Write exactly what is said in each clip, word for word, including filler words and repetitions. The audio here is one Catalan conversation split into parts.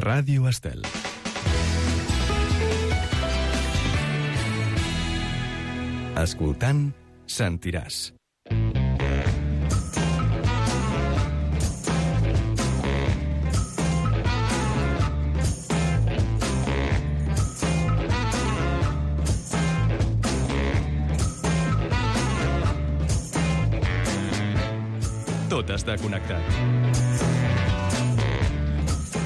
Ràdio Estel. Escoltant, sentiràs. Tot està connectat.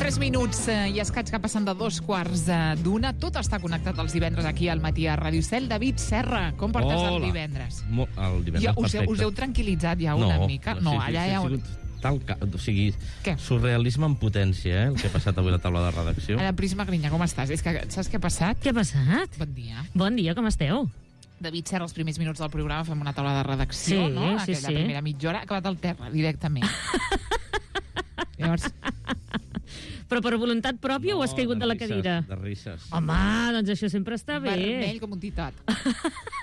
Tres minuts eh, i escaig que passen de dos quarts eh, d'una. Tot està connectat els divendres aquí al matí a Ràdio Estel. David Serra, com portes Hola. el divendres? Mo el divendres, ja, us, perfecte. heu, us heu tranquil·litzat ja no, una mica? No, sí, allà sí, ja... ha sigut tal ca... O sigui, Què? surrealisme en potència, eh, el que ha passat avui a la taula de redacció. Ara, Prisma Grinya, com estàs? És que saps què ha passat? Què ha passat? Bon dia. Bon dia, com esteu? David Serra, els primers minuts del programa fem una taula de redacció, Sí, no? sí, Aquella sí. primera mitja hora ha acabat al terra, directament. Llavors, Però per voluntat pròpia No, o has caigut de la risses, cadira? De risses. Home, doncs això sempre està bé. vermell com un titot.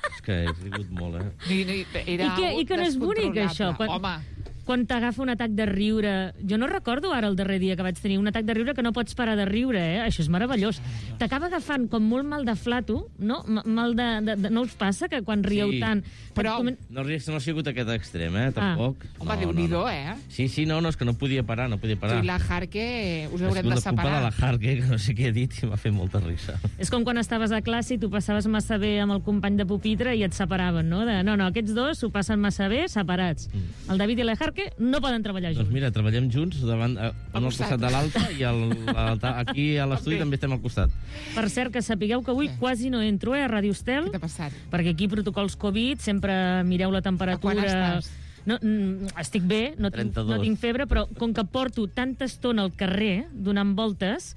És que he rigut molt, eh? I, i, era I que- i que no és bonic, descontrolable. això, quan- Home, Quan t'agafa un atac de riure... Jo no recordo ara el darrer dia que vaig tenir un atac de riure que no pots parar de riure, eh? Això és meravellós. T'acaba agafant com molt mal de flato, no? M mal de, de, de... No us passa que quan rieu Sí. tant... Però- comen- No, ries- no ha sigut aquest extrem, eh? Tampoc. home, no, Déu-n'hi-do, no, no. eh? Sí, sí, no, no, és que no podia parar, no podia Tu parar. i la Jarque us Ha haurem sigut de la culpa de separar. la Jarque, que no sé què he dit, i m'ha fet molta risa. És com quan estaves a classe i tu passaves massa bé amb el company de pupitre i et separaven, no? De, no, no, aquests dos s'ho passen massa bé, separats. Mm. El David i la Jarque no poden treballar junts. Doncs mira, treballem junts davant, eh, un al costat. costat de l'altre i el, l'altre- aquí a l'estudi Ok. també estem al costat. Per cert, que sapigueu que avui Què? quasi no entro, eh, a Ràdio Estel, Què t'ha passat? perquè aquí protocols Covid, sempre mireu la temperatura... A quan estàs? No, mm, estic bé, no tinc, trenta-dos. no tinc febre, però com que porto tanta estona al carrer donant voltes,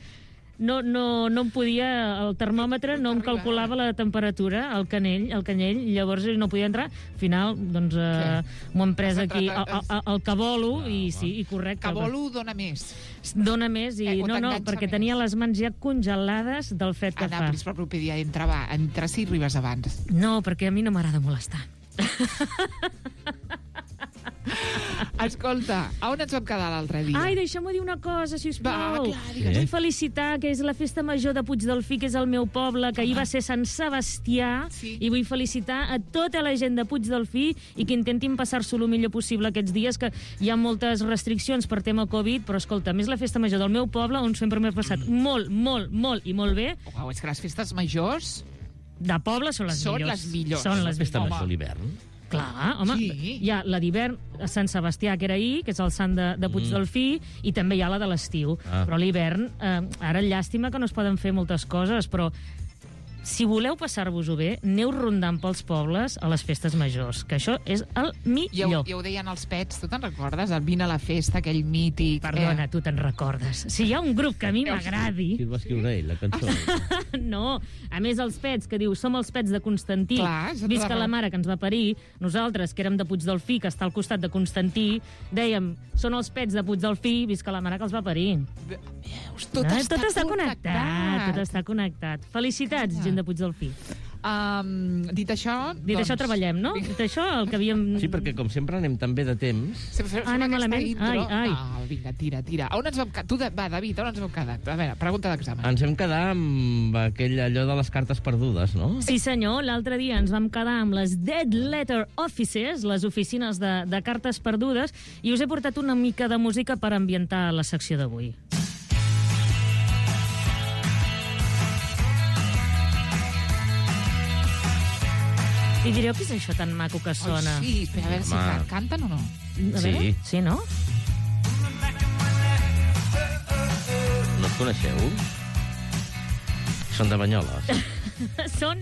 no, no, no em podia, el termòmetre no em calculava la temperatura, el canell, el canyell, llavors no podia entrar. Al final, doncs, eh, m'ho hem pres Has aquí entrat el, a- el, el que volo, Ah, i va. sí, i correcte. Que vol dona més. Dóna més, i Eh, o no, no, t'enganxa perquè més. tenia les mans ja congelades del fred que Anna, fa. Pris, per proper dia, entra, va, entra si arribes abans. No, perquè a mi no m'agrada molestar. Escolta, a on ens vam quedar l'altre dia? Ai, deixa'm dir una cosa, Va, sisplau. clar, digues. Vull felicitar que és la festa major de Puigdelfí, que és el meu poble, que ahir va ser Sant Sebastià, Sí. i vull felicitar a tota la gent de Puigdelfí i que intentin passar-s'ho el millor possible aquests dies, que hi ha moltes restriccions per tema Covid, però escolta, a més la festa major del meu poble, on sempre m'he passat molt, molt, molt i molt bé, Uau, és que les festes majors... de poble són les Són millors. les millors. Són La les festa Home. major l'hivern. Clar, home, Sí. hi ha la d'hivern a Sant Sebastià, que era ahir, que és el sant de, de Puigdelfí, i també hi ha la de l'estiu. Ah. Però l'hivern, eh, ara llàstima que no es poden fer moltes coses, però si voleu passar-vos-ho bé, aneu rondant pels pobles a les festes majors, que això és el Ja ho, millor. ja ho deien els pets, tu te'n recordes? El Vine a la festa, aquell mític... Perdona, tu te'n recordes. Si hi ha un grup que a mi m'agradi... Qui el va escriure ell, la cançó? No, a més els pets, que diu som els pets de Constantí, Clar, és visca tota la raó. mare que ens va parir, nosaltres, que érem de Puigdelfí, que està al costat de Constantí, dèiem, són els pets de Puigdelfí, visca la mare que els va parir. Veus, tot, Ah, està tot està connectat, tot està connectat. Felicitats, Ah. gent de Puigdelfí. Um, dit això... Dit això, treballem, no? Dit això, el que havíem... Sí, perquè com sempre anem tan bé de temps... Fem, fem, Ah, fem anem aquesta malament? intro. Ai, ai. No, vinga, tira, tira. A on ens vam quedar? Tu, de... va, David, on ens vam quedar? A veure, pregunta d'examen. Ens hem quedat amb aquell allò de les cartes perdudes, no? Sí, senyor, l'altre dia ens vam quedar amb les Dead Letter Offices, les oficines de, de cartes perdudes, i us he portat una mica de música per ambientar la secció d'avui. I direu què és això tan maco que sona? Ai, sí, espera, a veure si Home. can- canten o no. A Sí. veure? Sí, no? No els coneixeu? Són de Banyoles. Són...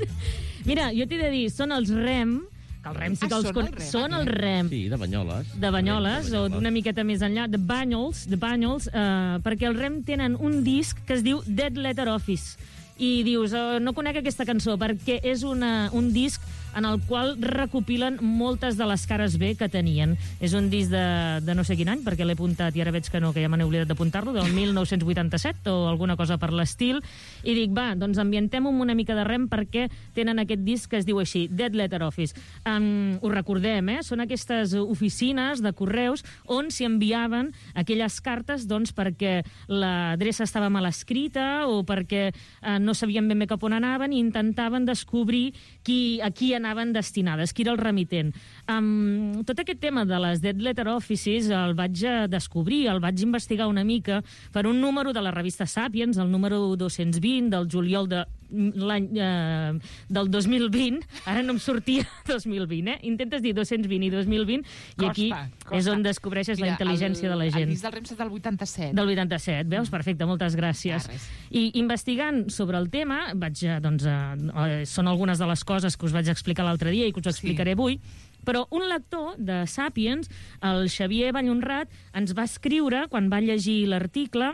Mira, jo t'he de dir, són els Rem, que el Rem sí que Ah, els són con... el Rem, Són el aquest. Rem. Sí, de Banyoles. De Banyoles, o d'una miqueta més enllà, de Banyoles, de Banyoles, eh, perquè el Rem tenen un disc que es diu Dead Letter Office, i dius, oh, no conec aquesta cançó, perquè és una, un disc en el qual recopilen moltes de les cares B que tenien. És un disc de, de no sé quin any, perquè l'he apuntat i ara veig que no, que ja me n'he oblidat d'apuntar-lo, del mil nou-cents vuitanta-set o alguna cosa per l'estil, i dic, va, doncs ambientem amb una mica de rem perquè tenen aquest disc que es diu així, Dead Letter Office. Um, ho recordem, eh? Són aquestes oficines de correus on s'hi enviaven aquelles cartes doncs, perquè l'adreça estava mal escrita o perquè uh, no sabien ben bé cap on anaven i intentaven descobrir qui, a qui anaven destinades, qui era el remitent. Um, tot aquest tema de les Dead Letter Offices el vaig descobrir, el vaig investigar una mica per un número de la revista Sapiens, el número dos-cents vint del juliol de l'any eh, del dos mil vint, ara no em sortia dos mil vint, eh? Intentes dir dos-cents vint i dos mil vint, i aquí costa. És on descobreixes Mira, la intel·ligència el, de la gent. El disc del Rems és del vuitanta-set. Del vuitanta-set, veus? Perfecte, moltes gràcies. Ah, I investigant sobre el tema, vaig, doncs, eh, són algunes de les coses que us vaig explicar l'altre dia i que us explicaré sí. avui, però un lector de Sapiens, el Xavier Vallhonrat, ens va escriure, quan va llegir l'article,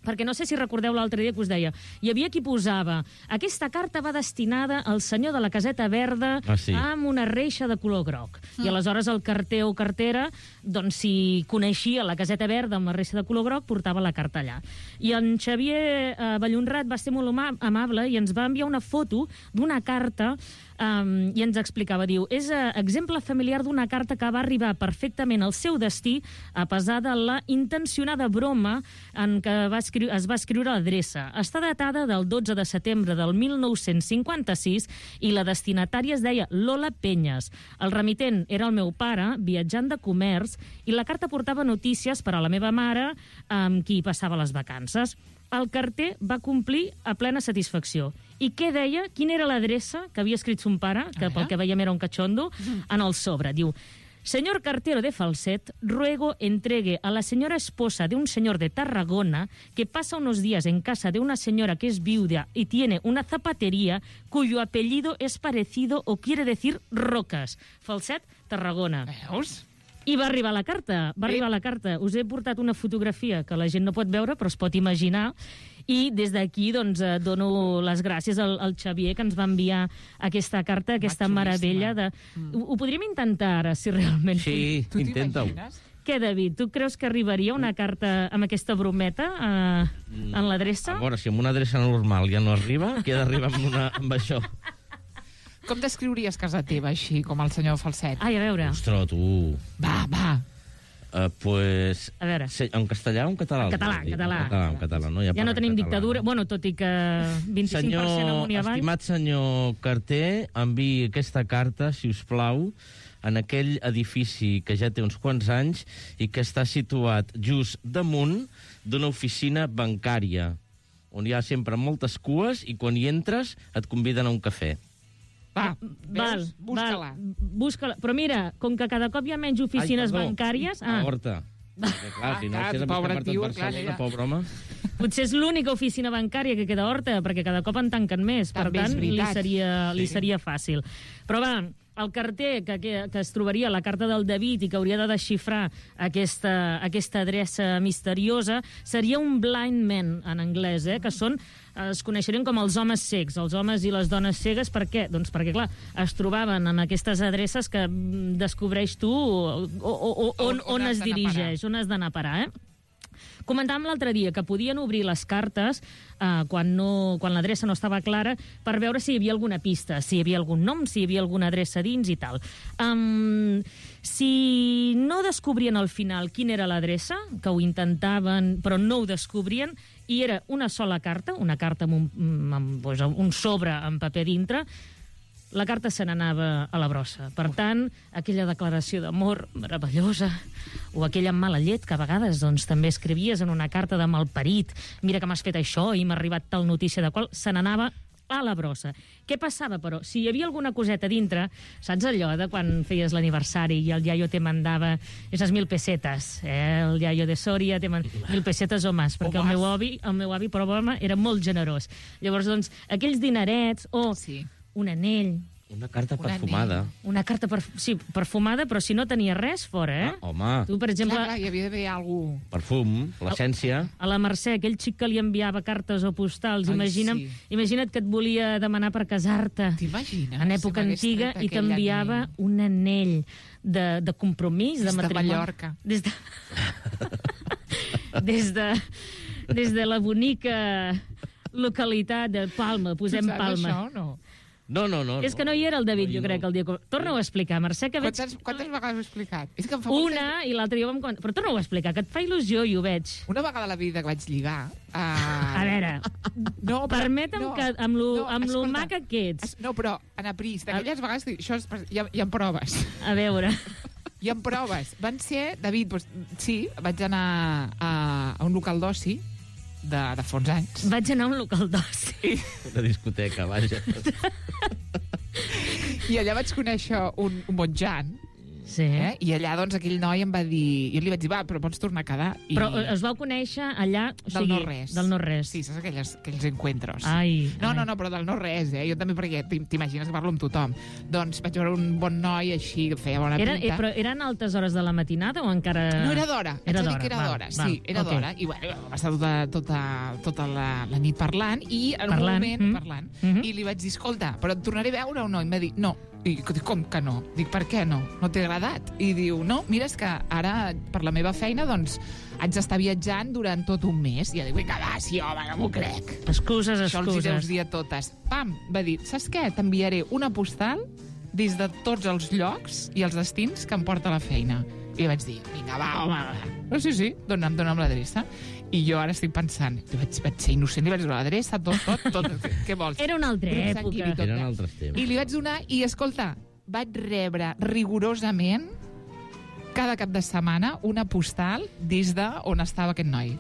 perquè no sé si recordeu l'altre dia que us deia, hi havia qui posava, aquesta carta va destinada al senyor de la caseta verda ah, sí. amb una reixa de color groc. Mm. I aleshores el carter o cartera, doncs si coneixia la caseta verda amb la reixa de color groc, portava la carta allà. I en Xavier eh, Vallhonrat va ser molt amable i ens va enviar una foto d'una carta Um, i ens explicava, diu, és uh, exemple familiar d'una carta que va arribar perfectament al seu destí a pesar de la intencionada broma en què va es va escriure l'adreça. Està datada del dotze de setembre del mil nou-cents cinquanta-sis i la destinatària es deia Lola Penyes. El remitent era el meu pare, viatjant de comerç, i la carta portava notícies per a la meva mare, amb qui passava les vacances. El carter va complir a plena satisfacció. I què deia? Quina era l'adreça que havia escrit son pare, que pel que veiem era un cachondo, en el sobre? Diu, señor cartero de Falset, ruego entregue a la señora esposa de un señor de Tarragona que pasa unos días en casa de una señora que es viuda y tiene una zapatería cuyo apellido es parecido o quiere decir Rocas. Falset, Tarragona. Veus? I va arribar la carta, va arribar la carta. Us he portat una fotografia que la gent no pot veure, però es pot imaginar. I des d'aquí doncs, dono les gràcies al, al Xavier, que ens va enviar aquesta carta, aquesta meravella. De... Mm. Ho, ho podríem intentar ara, si realment... Sí, intenta-ho. Què, David, tu creus que arribaria una carta amb aquesta brometa eh, en l'adreça? A veure, si amb una adreça normal ja no arriba, què ha d'arribar amb, una, amb això? Com descriuries casa teva, així, com el senyor Falset? Ai, a veure. Ostres, tu... Va, va. Uh, pues... A veure. En castellà o en català? En català, en català. En català, en català, no? Ja, ja no tenim català, dictadura, no? bueno, tot i que vint-i-cinc per cent amunt i avall. Estimat senyor carter, enviï aquesta carta, si us plau, en aquell edifici que ja té uns quants anys i que està situat just damunt d'una oficina bancària, on hi ha sempre moltes cues i quan hi entres et conviden a un cafè. Va, val, busca-la. Busca-la. Però mira, com que cada cop hi ha menys oficines Ai, bancàries... Ah, Horta. Perquè, clar, si no, Ah, si és pobre per tot tio, Barcelona, clar, pobre home. Potser és l'única oficina bancària que queda a Horta, perquè cada cop en tanquen més. Per També és tant, li veritat. seria, li Sí. seria fàcil. Però va, el carter que, que, que es trobaria a la carta del David i que hauria de desxifrar aquesta, aquesta adreça misteriosa seria un blind man, en anglès, eh? Que són, es coneixerien com els homes cecs, els homes i les dones cegues. Per què? Doncs perquè, clar, es trobaven en aquestes adreces que descobreix tu o, o, o, on, on, on es dirigeix, on has d'anar a parar, eh? Comentàvem l'altre dia que podien obrir les cartes eh, quan, no, quan l'adreça no estava clara per veure si hi havia alguna pista, si hi havia algun nom, si hi havia alguna adreça dins i tal. Um, si no descobrien al final quina era l'adreça, que ho intentaven però no ho descobrien, i era una sola carta, una carta amb un, amb, doncs, un sobre amb paper dintre, la carta se n'anava a la brossa. Per tant, aquella declaració d'amor meravellosa o aquella mala llet que a vegades doncs, també escrivies en una carta de malparit, mira que m'has fet això i m'ha arribat tal notícia de qual, se n'anava a la brossa. Què passava, però? Si hi havia alguna coseta dintre, saps allò de quan feies l'aniversari i el iaio te mandava esas mil pesetes, eh? El iaio de Sòria te mandava mil pesetes o més, perquè o el meu avi, el meu avi, però, era molt generós. Llavors, doncs, aquells dinerets o... Sí. un anell, Una carta Un perfumada. anell. Una carta perf sí, perfumada, però si no tenia res fora, eh? Ah, home, Tu, per exemple, Clar, clar, hi havia d'haver algú... perfum, l'essència. a la Mercè, aquell xic que li enviava cartes o postals, Ai, imagina't, sí. imagina't que et volia demanar per casar-te T'imagines? en època Si m'hagués antiga tret i aquell t'enviava anell. un anell de, de compromís, Des de de matrimoni. Mallorca. Des de... des de... Des de la bonica localitat de Palma, posem Tu saps Palma. això o no? No, no, no. És que no hi era el David, No, jo no. crec, el dia que... Torna-ho a explicar, Mercè, que veig... Quantes, quantes vegades ho he explicat? És que em fa molta... Una i l'altra jo vam comentar. Però torna-ho a explicar, que et fa il·lusió i ho veig. Una vegada a la vida que vaig lligar... Uh... A veure, no, però- permetem no, que amb lo, no, amb lo escolta, maca que ets... es- No, però, Anna Pris, d'aquelles vegades... dic, Això és, hi, ha, hi ha proves. A veure... Hi ha proves. Van ser, David, doncs, sí, vaig anar a, a un local d'oci de, de fa uns anys. Vaig anar a un local d'oci. Una discoteca, vaja. I allà vaig conèixer un, un bon Jan, Sí. eh? I allà, doncs, aquell noi em va dir... Jo li vaig dir, va, però pots tornar a quedar. I... Però eh, us vau conèixer allà... O Del sigui, no-res. Del no-res. Sí, saps aquelles, aquells encuentros. Ai, No, ai. no, no, però del no-res, eh? Jo també, perquè t'im- t'imagines que parlo amb tothom. Doncs vaig veure un bon noi així, que feia bona Era, eh, pinta. però eren altes hores de la matinada o encara... No, era d'hora. Haig Era de dir d'hora, que era val, d'hora. val, Sí, era ok. d'hora. I bueno, vam estar tota, tota, tota la, la nit parlant i en un Parlant, moment mm. parlant. Mhm. I li vaig dir, escolta, però et tornaré a veure o no? I em va dir, no. I dic, com que no? Dic, per què no? No t'ha agradat? I diu, no, mira, és que ara, per la meva feina, doncs, haig d'estar viatjant durant tot un mes. I jo dic, vinga, va, sí, home, no m'ho crec. Excuses, Això els hi deus excuses. dir a totes. Pam, va dir, saps què? T'enviaré una postal des de tots els llocs i els destins que em porta a la feina. I vaig dir, vinga, va, home, va. No, sí, sí, dona'm, dona'm l'adreça. I jo ara estic pensant, vaig, vaig ser innocent, li vaig donar l'adreça, tot, tot, tot. Què, què vols? Era una altra Grup època. sanguini, tot, Eren eh? altres temps. I li vaig donar, i escolta, vaig rebre rigorosament cada cap de setmana una postal des de on estava aquest noi.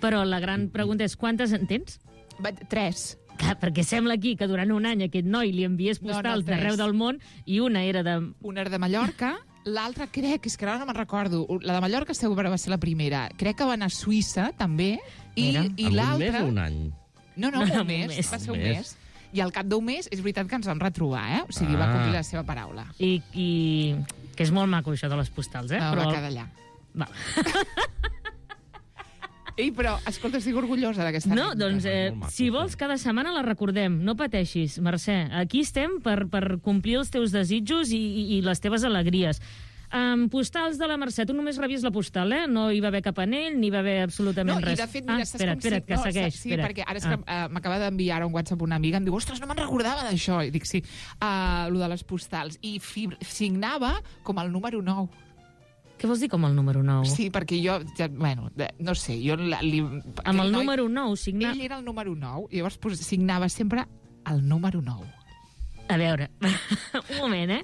Però la gran pregunta és, quantes en tens? Vaig, tres. Clar, perquè sembla aquí que durant un any aquest noi li enviés No, no, postals tres. d'arreu del món i una era de... Una era de Mallorca, l'altra crec, és que ara no me'n recordo, la de Mallorca segur que va ser la primera. Crec que va anar a Suïssa, també, i, Mira. i Amb un mes l'altra... o un any? No, no, Un un mes, mes. va ser un Un mes. mes. I al cap d'un mes, és veritat que ens vam retrobar, eh? O sigui, va Ah. complir la seva paraula. I, i... Que és molt maco, això de les postals, eh? No, va quedar allà. Va. Ei, però, escolta, estic orgullosa d'aquesta No, anècdota. doncs, eh, Molt maco, si vols, cada setmana la recordem. No pateixis, Mercè. Aquí estem per, per complir els teus desitjos i, i, i les teves alegries. Um, postals de la Mercè, tu només revies la postal, eh? No hi va haver cap anell, ni hi va haver absolutament No, res. i de fet, mira, ah, saps espera't, com espera't, si- que no, segueix. Sí, espera't. perquè ara és Ah. que uh, m'acaba d'enviar un WhatsApp una amiga, em diu, ostres, no me'n recordava d'això. I dic, sí, uh, lo de les postals. I fi, signava com el número nou. Què vols dir com el número nou? Sí, perquè jo, ja, bueno, de- no sé, jo... La, li, Amb aquell el noi- número nou signar... Ell era el número nou, i llavors pues, signava sempre el número nou. A veure, un moment, eh?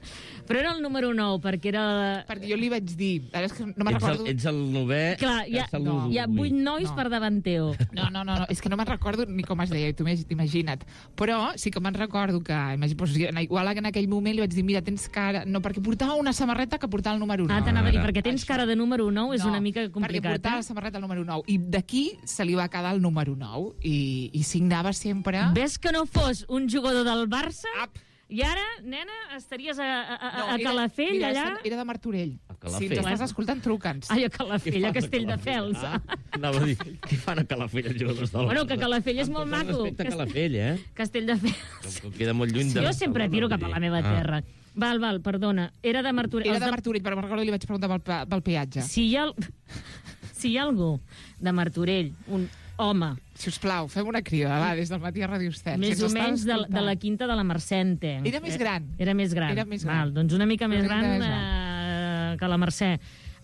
Però era el número nou, perquè era... Perquè jo li vaig dir... Ara és que no me'n Ets el, recordo... ets el novè... Clar, hi ha, que no, saludo hi ha avui. vuit nois No. per davant teu. No, no, no, no, és que no me'n recordo ni com es deia, tu m'has- imagina't. Però sí que me'n recordo que, imagina, doncs, igual que en aquell moment li vaig dir, mira, tens cara... No, perquè portava una samarreta que portava el número nou. Ah, t'anava a dir, Ara. perquè tens Això. cara de número nou, és No, una mica perquè complicat, portava la eh? samarreta el número nou. I d'aquí se li va quedar el número nou. I, i signava sempre... Ves que no fos un jugador del Barça Ap. i ara, nena, estaries a, a, a, No, a era- Calafell, mira, allà... Era de Martorell. A Calafell. Si ens estàs Bueno. escoltant, truca'ns. Ai, a Calafell, a fan Castelldefels. Ah, anava a dir, què fan a Calafell els jugadors del Bueno, Barça? que Calafell és Amb molt tot el maco. respecte a Cast- Calafell, eh? Castelldefels. Que queda molt lluny de... Jo sempre tiro cap a la meva Ah. terra. Val, val, perdona. Era de Martorell. Era Els de Martorell, però me'n recordo que li vaig preguntar pel, pe- pel peatge. Si hi ha, el- si hi ha algú de Martorell, un home, Si us plau, fem una crida, va, des del matí a Ràdio Estel. més Si o ens estàs menys de, de escoltant. la quinta de la Mercè. Era més gran. Era més gran. Era més gran. Val, doncs una mica Una més mica gran, més eh, que la Mercè.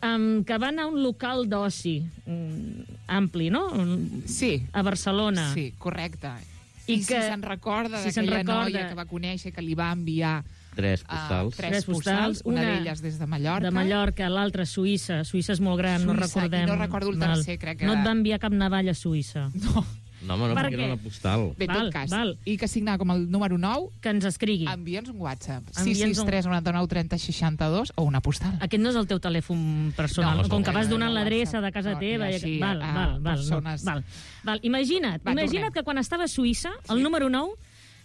Um, que va anar a un local d'oci um, ampli, no? Un- Sí. A Barcelona. Sí, correcte. I I, I que- si se'n recorda si se'n d'aquella recorda- noia que va conèixer, que li va enviar Tres uh, postals. tres, Tres postals, postals, una, una d'elles des de Mallorca. De Mallorca, l'altra Suïssa. Suïssa és molt gran, no Suïssa, i recordem. no recordo el Val. tercer, crec que No et era- va enviar cap navalla a Suïssa. No, No, home, no, Per perquè què? era una postal. bé, en Val, tot cas. val. I que signava com el número nou, Que ens escrigui. envia'ns un WhatsApp. sis Envia'ns sis un- tres noranta nou trenta seixanta dos o una postal. Aquest no és el teu telèfon personal, No, no, com que no, vas no, donant no, l'adreça no, de casa no, teva. i i- així, val, a val, val, persones- val, val. Imagina't, Va, imagina't tornem. que quan estava a Suïssa, el número nou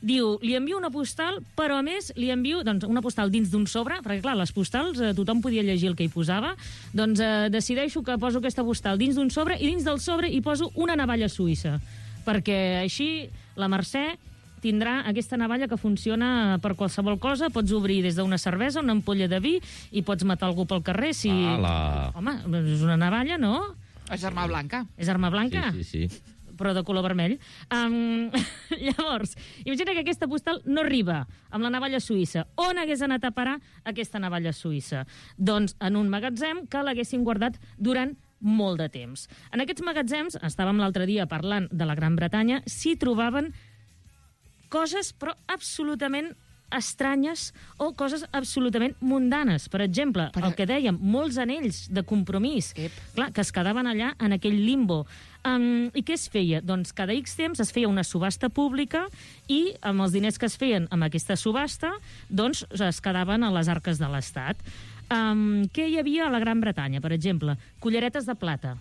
Diu, li envio una postal, però a més li envio doncs, una postal dins d'un sobre, perquè clar, les postals eh, tothom podia llegir el que hi posava, doncs eh, decideixo que poso aquesta postal dins d'un sobre i dins del sobre hi poso una navalla suïssa, perquè així la Mercè tindrà aquesta navalla que funciona per qualsevol cosa. Pots obrir des d'una cervesa, una ampolla de vi, i pots matar algú pel carrer si... Ala. Home, és una navalla, no? És arma blanca. És arma blanca? Sí, sí, sí. Però de color vermell. Um, llavors, imagina que aquesta postal no arriba amb la navalla suïssa. On hagués anat a parar aquesta navalla suïssa? Doncs en un magatzem que l'haguessin guardat durant molt de temps. En aquests magatzems, estàvem l'altre dia parlant de la Gran Bretanya, s'hi trobaven coses, però absolutament estranyes o coses absolutament mundanes. Per exemple, Per... el que dèiem, molts anells de compromís, Ep. clar, que es quedaven allà en aquell limbo. Um, I què es feia? Doncs cada X temps es feia una subhasta pública i amb els diners que es feien amb aquesta subhasta doncs es quedaven a les arques de l'Estat. Um, què hi havia a la Gran Bretanya, per exemple? Culleretes de plata.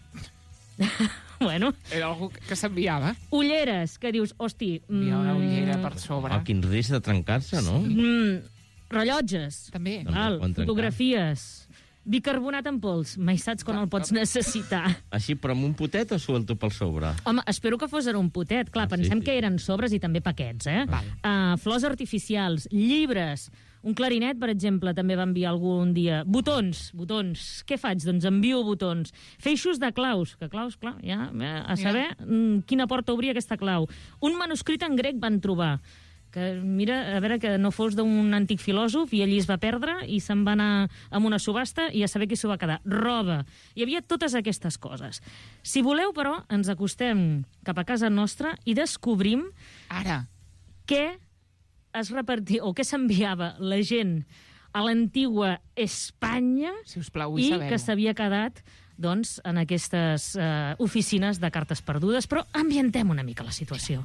Bueno, Era algú que s'enviava. ulleres, que dius, hosti... Hi ha una ullera per sobre. Ah, quin risc de trencar-se, no? Mm, rellotges. També. Doncs Val, es poden trencar. fotografies. Bicarbonat en pols. Mai saps quan el pots necessitar. Així, però amb un potet o suelto pel sobre? Home, espero que fos en un potet. Clar, Ah, sí, pensem sí. que eren sobres i també paquets, eh? Val. Uh, flors artificials, llibres, un clarinet, per exemple, també va enviar algú un dia. Botons, botons. Què faig? Doncs envio botons. Feixos de claus, que claus, clar, ja, eh, a saber mm, quina porta obria aquesta clau. Un manuscrit en grec van trobar, que mira, a veure, que no fos d'un antic filòsof i allí es va perdre i se'n va anar amb una subhasta i a saber qui s'ho va quedar. Roba. Hi havia totes aquestes coses. Si voleu, però, ens acostem cap a casa nostra i descobrim Ara. què es repartia o què s'enviava la gent a l'antigua Espanya Si us plau, vull i saber-ho. que s'havia quedat doncs, en aquestes eh, oficines de cartes perdudes. Però ambientem una mica la situació.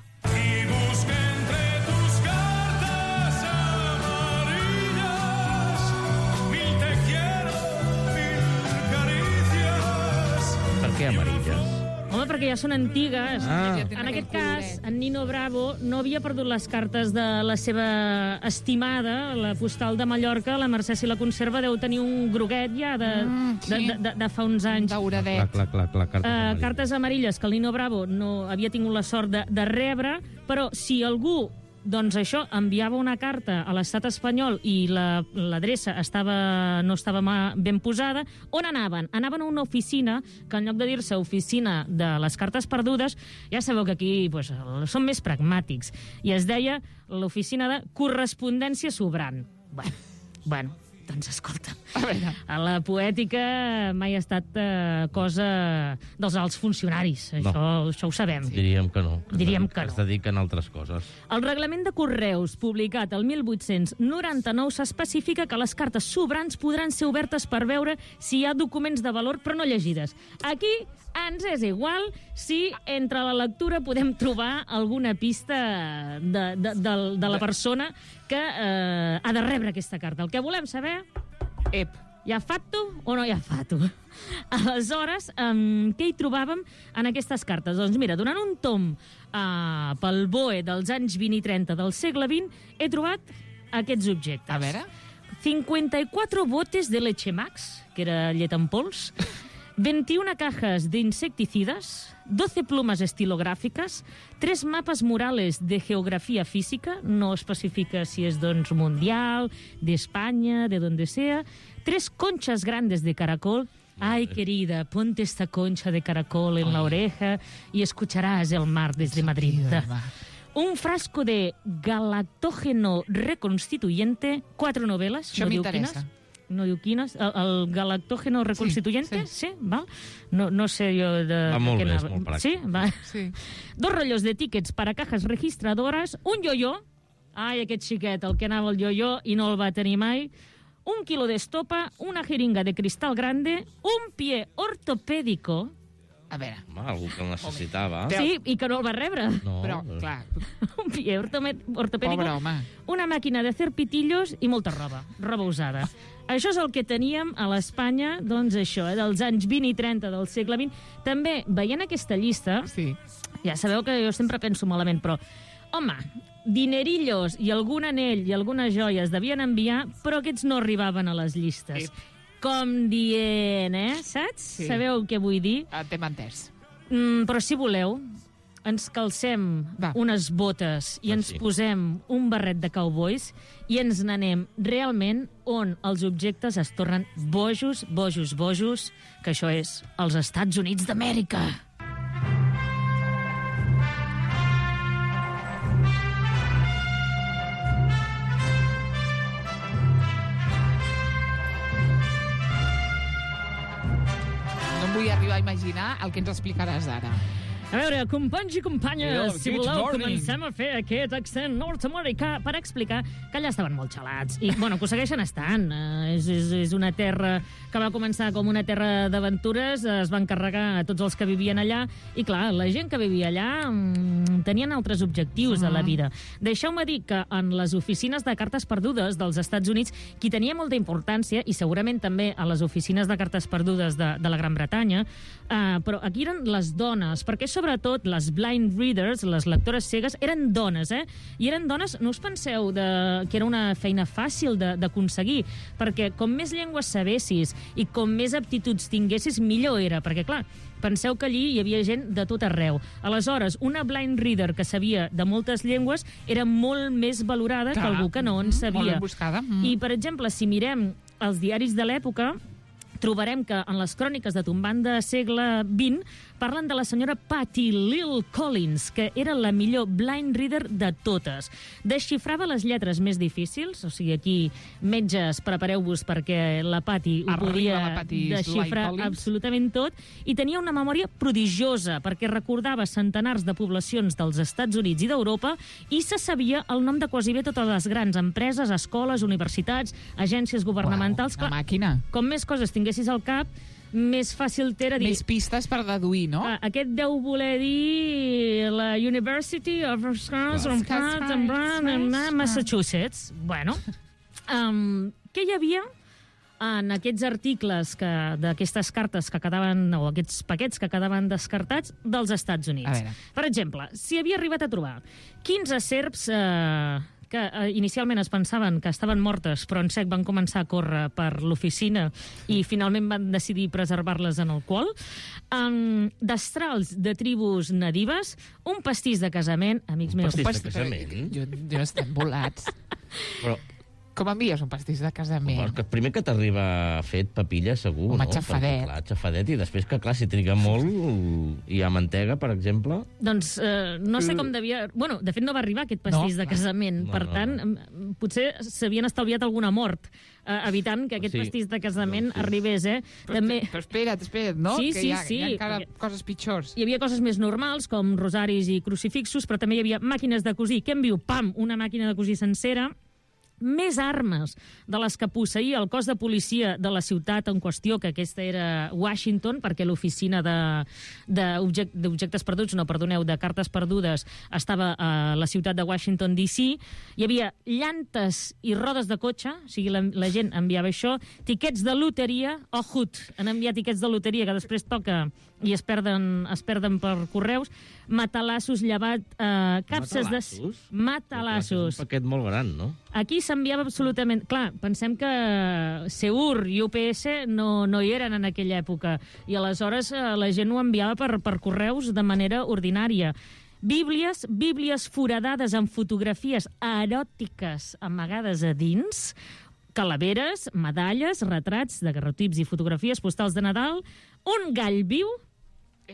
Per què amarilles? Home, perquè ja són antigues. Ah. Ja tenen En aquest aquell cas, coloret. en Nino Bravo no havia perdut les cartes de la seva estimada, la postal de Mallorca. La Mercè, si la conserva, deu tenir un groguet ja de, Mm, de, sí. de, de, de fa uns anys. Dauradet. Clar, clar, clar, clar, cartes Uh, amarilles. cartes amarilles que el Nino Bravo no havia tingut la sort de, de rebre, però si algú doncs això, enviava una carta a l'estat espanyol i la- l'adreça estava, no estava ma- ben posada, on anaven? Anaven a una oficina que en lloc de dir-se oficina de les cartes perdudes, ja sabeu que aquí pues, són més pragmàtics, i es deia l'oficina de correspondència sobrant. Bueno, bueno, doncs escolta, A veure. a la poètica mai ha estat eh, cosa dels alts funcionaris. No. Això, això ho sabem. Diríem que no. Diríem es, que no. Es dediquen a altres coses. El reglament de correus, publicat el mil vuit-cents noranta-nou, s'especifica que les cartes sobrants podran ser obertes per veure si hi ha documents de valor, però no llegides. Aquí ens és igual si entre la lectura podem trobar alguna pista de, de, de, de la persona que eh, ha de rebre aquesta carta. El que volem saber... Ep. Hi ha fato o no hi ha fato? Aleshores, um, què hi trobàvem en aquestes cartes? Doncs mira, donant un tom uh, pel B O E dels anys vint i trenta del segle vint, he trobat aquests objectes. A veure. cincuenta-cuatro botes de leche Max, que era llet en pols, veintiuna cajas de insecticidas, doce plumas estilográficas, tres mapas murales de geografía física, no especifica si és doncs mundial, d'Espanya, de donde sea, tres conchas grandes de caracol. Ay, querida, ponte esta concha de caracol en la oreja y escucharás el mar desde Madrid. Un frasco de galactógeno reconstituyente, quatre novel·les. Això no diu m'interessa. quines. No diu quines. El, el galactógeno reconstituyente? sí. Sí, val? No, no sé jo de... Va molt de què bé, és anava. molt pràctic. Sí, va. Sí. Dos rotllos de tickets para cajas registradoras, un yo-yo, ai, aquest xiquet, el que anava al yo-yo i no el va tenir mai, un quilo d'estopa, una jeringa de cristal grande, un pie ortopèdico, A veure. Home, algú que el necessitava. Però- sí, i que no el va rebre, No, Però, clar, un pie ortome- ortopèdico, pobre home. una màquina de fer pitillos i molta roba, roba usada. Això és el que teníem a l'Espanya, doncs això, eh, dels anys vint i trenta del segle vint. També, veient aquesta llista, Sí. ja sabeu que jo sempre penso malament, però, home, dinerillos i algun anell i algunes joies devien enviar, però aquests no arribaven a les llistes. Ep. Com dient, eh? Saps? Sí. Sabeu què vull dir? Ah, t'hem entès. Mm, però si voleu, ens calcem Va. unes botes i Ah, ens sí. posem un barret de cowboys i ens n'anem realment on els objectes es tornen bojos, bojos, bojos, que això és els Estats Units d'Amèrica. No em vull arribar a imaginar el que ens explicaràs ara. A veure, companys i companyes, Hello, si good voleu, morning. comencem a fer aquest accent nord-americà per explicar que allà estaven molt gelats. I, bueno, que ho segueixen estant. Uh, és, és, és una terra que va començar com una terra d'aventures, es van carregar a tots els que vivien allà, i clar, la gent que vivia allà mm, tenien altres objectius a la vida. Deixeu-me dir que en les oficines de cartes perdudes dels Estats Units, qui tenia molta importància, i segurament també a les oficines de cartes perdudes de, de la Gran Bretanya, uh, però aquí eren les dones, perquè sobretot les blind readers, les lectores cegues, eren dones, eh? I eren dones, no us penseu de, que era una feina fàcil de- d'aconseguir, perquè com més llengües sabessis i com més aptituds tinguessis, millor era, perquè clar, penseu que allí hi havia gent de tot arreu. Aleshores, una blind reader que sabia de moltes llengües era molt més valorada Clar. que algú que no en Mm, sabia. molt ben buscada. Mm. I, per exemple, si mirem els diaris de l'època, trobarem que en les cròniques de tombant de segle vint parlen de la senyora Patty Lil Collins, que era la millor blind reader de totes. Desxifrava les lletres més difícils, o sigui, aquí, metges, prepareu-vos perquè la Patty ho Arriba podia la Patty desxifrar Lil Collins. absolutament tot, i tenia una memòria prodigiosa, perquè recordava centenars de poblacions dels Estats Units i d'Europa i se sabia el nom de quasi bé totes les grans empreses, escoles, universitats, agències governamentals. Uau, una Clar, màquina. com més coses tinguessis al cap, més fàcil t'era dir... Més pistes per deduir, no? Ah, aquest deu voler dir la University of Wisconsin, Massachusetts. Bueno, um, què hi havia en aquests articles que d'aquestes cartes que quedaven, o aquests paquets que quedaven descartats dels Estats A Units? veure. Per exemple, si havia arribat a trobar quinze serps eh, que eh, inicialment es pensaven que estaven mortes, però en sec van començar a córrer per l'oficina i finalment van decidir preservar-les en alcohol, um, destrals de tribus nadives, un pastís de casament, amics Un meus... pastís de casament? Jo, jo estem volats. Però, Com envies un pastís de home, casament? que primer que t'arriba fet papilla, segur, Home, no? xafadet. Perquè, clar, xafadet, i després que, clar, si triga molt, i hi ha mantega, per exemple... Doncs eh, no sé com devia... Bueno, de fet no va arribar aquest pastís No. de casament. No, per no, tant, em- potser s'havien estalviat alguna mort, eh, evitant que aquest Sí. pastís de casament Doncs sí. arribés, eh? Però, També... però espera't, espera't, no? Sí, que sí, hi ha, sí, Hi ha encara perquè- coses pitjors. Hi havia coses més normals, com rosaris i crucifixos, però també hi havia màquines de cosir. Què en viu? Pam! Una màquina de cosir sencera. Més armes de les que posseïa el cos de policia de la ciutat en qüestió, que aquesta era Washington, perquè l'oficina de- d'objec- d'objectes perduts, no, perdoneu, de cartes perdudes, estava a la ciutat de Washington, D C. Hi havia llantes i rodes de cotxe, o sigui, la, la gent enviava això, tiquets de loteria, ojut, han enviat tiquets de loteria que després toca i es perden, es perden per correus, matalassos llevat, eh, capses de... Matalassos? Matalassos. És un paquet molt gran, no? Aquí s'enviava absolutament... Clar, pensem que Seur i U P S no, no hi eren en aquella època i aleshores eh, la gent ho enviava per, per correus de manera ordinària. Bíblies, bíblies foradades amb fotografies eròtiques amagades a dins, calaveres, medalles, retrats, daguerrotips i fotografies postals de Nadal, un gall viu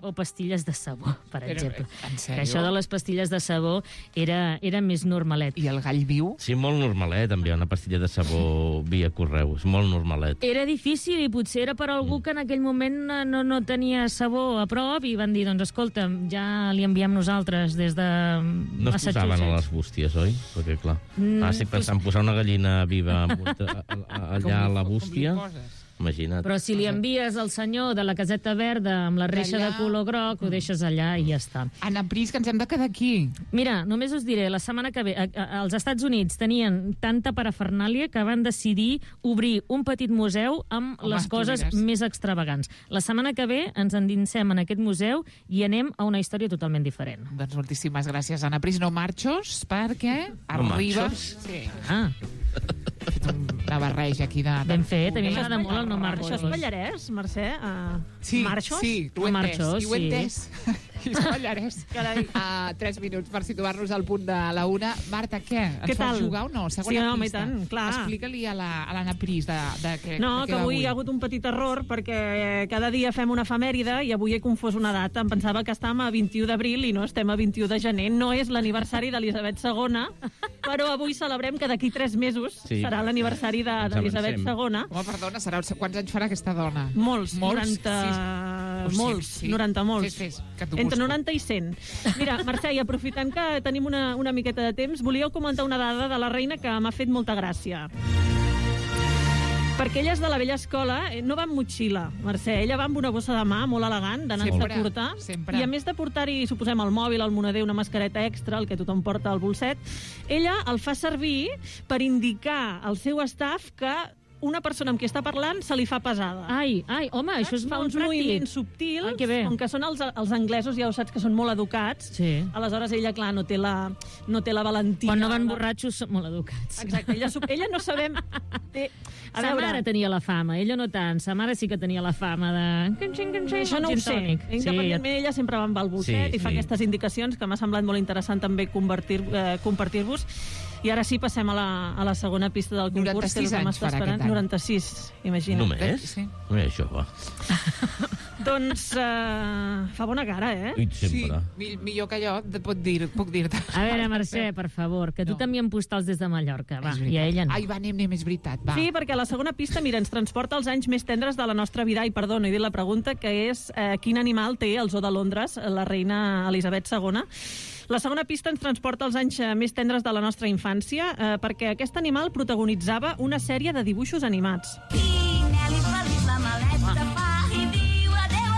o pastilles de sabó, per Però, exemple. en sèrio? Que això de les pastilles de sabó era, era més normalet. I el gall viu? Sí, molt normalet, enviar una pastilla de sabó via correu. És molt normalet. Era difícil i potser era per algú que en aquell moment no, no tenia sabó a prop i van dir, doncs escolta, ja li enviem nosaltres des de No es posaven a les bústies, oi? Perquè, clar, Mm, ara estic pensant posar una gallina viva amb un- a- a- allà a la Com li- bústia. Com li poses? Imagina't. Però si li envies al senyor de la caseta verda amb la reixa de Allà. color groc, ho deixes allà i ja està. Anna Pris, que ens hem de quedar aquí. Mira, només us diré, la setmana que ve, a, a, als Estats Units tenien tanta parafernàlia que van decidir obrir un petit museu amb Home, les tu coses diràs. més extravagants. La setmana que ve ens endinsem en aquest museu i anem a una història totalment diferent. Doncs moltíssimes gràcies, Anna Pris. No marxos, perquè No arriba... marxos? Sí, Ah, he fet una barreja aquí de... de ben fet, a mi de- m'agrada molt el no de- marxos. Això és Pallarès, Mercè? Uh, Sí, Marxos? sí, ho he A entès. Marxos, I ho he sí. entès. I és Pallarès. Carai. Uh, tres minuts per situar-nos al punt de la una. Marta, què? Ens Què fas tal? jugar o no? Segona Sí, home, i pista. tant, clar. Explica-li a la- a l'Anna Pris de, de, què, No, de què que va avui hi ha hagut un petit error perquè cada dia fem una efemèride i avui he confós una data. Em pensava que estàvem a vint-i-u d'abril i no estem a vint-i-u de gener. No és l'aniversari d'Elisabet segona, però avui celebrem que d'aquí tres mesos Sí. serà l'aniversari de- Ens d'Elisabet avancem. segona. Home, perdona, serà, quants anys farà aquesta dona? Molts, Molts? noranta... Sí. Molts, Sí. noranta molts. Fes, fes, que t'ho Entre busco. noranta i cent. Mira, Mercè, i aprofitant que tenim una, una miqueta de temps, volíeu comentar una dada de la reina que m'ha fet molta gràcia. Perquè ella és de la vella escola, eh, no va amb motxilla, Mercè. Ella va amb una bossa de mà molt elegant, de nansa Sempre, curta. sempre. I a més de portar-hi, suposem, el mòbil, el moneder, una mascareta extra, el que tothom porta al bolset, ella el fa servir per indicar al seu staff que una persona amb qui està parlant se li fa pesada. Ai, ai, home, això és Fa molt uns pràctic. moviments subtils, Ai, que bé. com que són els, els anglesos, ja ho saps, que són molt educats. Sí. Aleshores, ella, clar, no té la, no té la valentia. Quan no van la- borratxos són molt educats. Exacte, ella, sup- ella no sabem... Té... A Sa veure, mare tenia la fama, ella no tant. Sa mare sí que tenia la fama de... això no ho sé. Independentment, ella sempre va amb el bolset Sí, i fa sí. aquestes indicacions que m'ha semblat molt interessant també convertir, eh, compartir-vos. I ara sí, passem a la, a la segona pista del concurs. noranta-sis que és el que anys m'està farà esperant. aquest any. noranta-sis, imagina't. Només? Sí. No és jove. Doncs eh, fa bona cara, eh? Ui, Sí, sempre. mi- millor que jo, te pot dir, puc dir-te. A veure, Mercè, per favor, que tu No. t'envien postals des de Mallorca, va, És i veritat. a ella no. Ai, va, anem, anem, és veritat, va. Sí, perquè la segona pista, mira, ens transporta als anys més tendres de la nostra vida. I perdó, no he dit la pregunta, que és eh, quin animal té el zoo de Londres, la reina Elisabet segona. La segona pista ens transporta als anys eh, més tendres de la nostra infància, eh, perquè aquest animal protagonitzava una sèrie de dibuixos animats.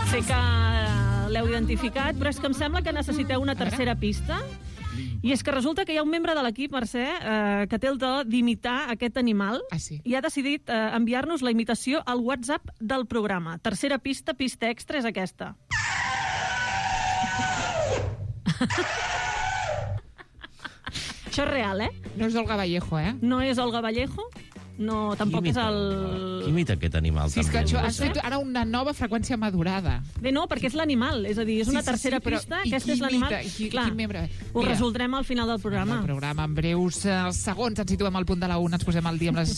Sé que eh, l'heu identificat, però és que em sembla que necessiteu una tercera pista. I és que resulta que hi ha un membre de l'equip, Mercè, eh, que té el do d'imitar aquest animal Ah, sí? i ha decidit eh, enviar-nos la imitació al WhatsApp del programa. Tercera pista, pista extra, és aquesta. Això és real, eh? No és Olga Vallejo, eh? No és Olga Vallejo, no, tampoc Qui és imita- el... Qui imita aquest animal? Sí, és que també? això, has fet ara una nova freqüència madurada. Bé, no, perquè és l'animal, és a dir, és una Sí, sí, tercera sí, però pista, i aquesta qui és l'animal. imita? I qui- Clar, quin membre? ho Mira. resoldrem al final del programa. El programa en breus eh, segons ens situem al punt de la una, ens posem al dia amb les